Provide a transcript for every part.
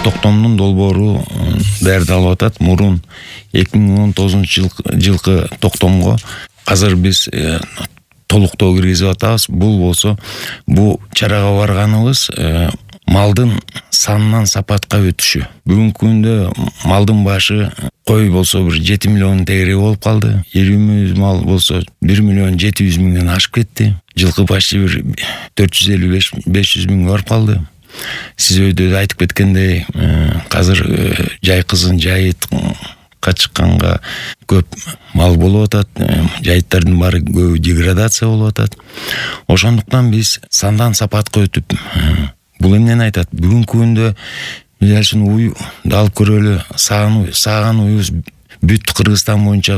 токтомдун долбоору даярдалып атат. Мурун 2019 жылкы токтомго азыр биз толуктоо киргизип атабыз. Бул болсо, бул чарага барганыбыз малдын санынан сапатка өтүшү. Бүгүнкү күндө малдын башы кой болсо бир 7 миллион тегереги болуп калды. Ирүүмүз мал болсо 1 миллион 700 миңден ашып кетти. Жылкы почти бир 455-500 миңге барып калды. Сиз өйдө айтып кеткендей, азыр жай кызын жайытка чыкканга көп мал болуп атат. Жайыттардын баары көбү деградация болуп атат. Ошондуктан биз сандан сапатка өтүп, бул эмнени айтат? Бүгүнкү күндө биз уй алып көрөлү, сааган уйубуз бүт Кыргызстан боюнча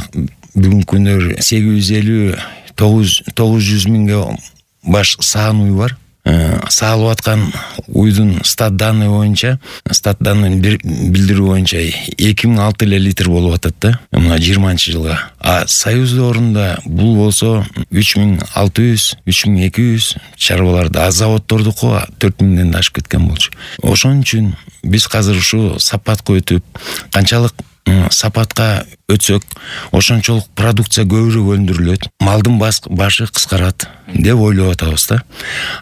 бүгүнкү күндө 850-900 миңге баш сааган уй бар. Саалып аткан уйдун стат данный боюнча, стат данный билдирүү боюнча 2006 литр болуп атат да, мына 20-жылга. А союздорунда бул болсо 3600-3200 чарбаларды, а заводдордуку 4000ден да ашып кеткен болчу. Ошон үчүн биз азыр ушу сапатка өтүп, канчалык сапатка өтсөк, ошончолук продукция көбүрөөк өндүрүлөт, малдын башы кыскарат деп ойлоп атабыз да.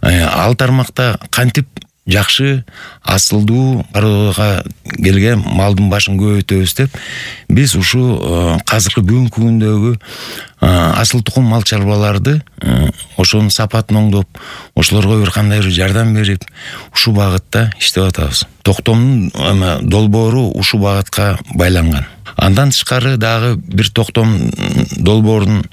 Ал тармакта кантип жакшы асылдуу аралга келген малдын башын көбөйтөбүз деп биз ушу азыркы бүгүнкү күндөгү асыл тукум мал чарбаларды ошонун сапатын оңдоп, ошолорго бир кандайдыр жардам берип, ушу багытта иштеп атабыз. Токтомдун долбоору ушу багытка байланган. Андан тышкары дагы бир токтом долбоорун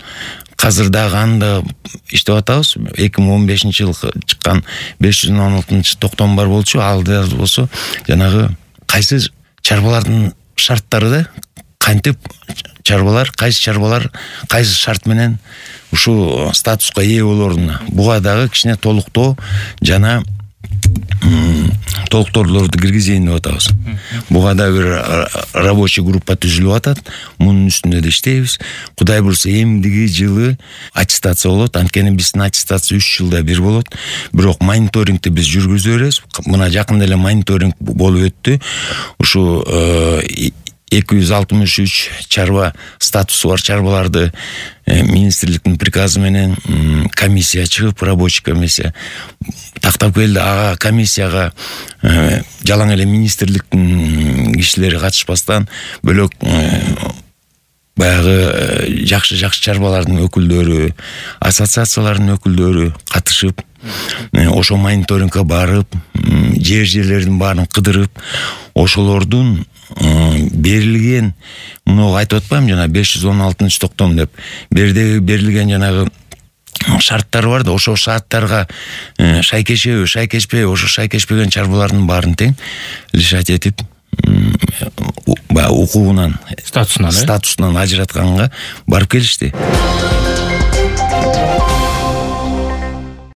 азыр дагы анда иштеп атабыз. 2015-жылы чыккан 516 токтом бар болчу. Ал болсо жанагы кайсы чарбалардын шарттары да, кантип чарбалар, кайсы шарт менен ушу статуска ээ болоруна. Буга дагы кичине толуктоо жана толукторлорду киргизейин деп атабыз. Буга да бир рабочий группа түзүлүп атат. Мунун үстүндө да иштейбиз. Кудай буйрса эмдиги жылы аттестация болот. Анткени биздин аттестация 3 жылда бир болот. Бирок мониторингти биз жүргүзүп беребиз. Мына жакында эле мониторинг болуп өттү. Ушу 263 чарба статусу бар чарбаларды министрликтин приказы менен комиссия чыгып, рабочий комиссия тактап келди. Ага комиссияга жалаң эле министрликтин кишилери катышпастан бөлөк баягы жакшы чарбалардын өкүлдөрү, ассоциациялардын өкүлдөрү катышып, ошо мониторингге барып, жерлердин баарын кыдырып, ошолордун берилген, муну айтып атпайм, жана 516 токтом деп берилген жанагы шарттар бар да, ошо шарттарга шайкешеби, шайкешпеби, ошо шайкешпеген чарбалардын баарын тең решать этип, укугунан, статусунан ажыратканга барып келишти.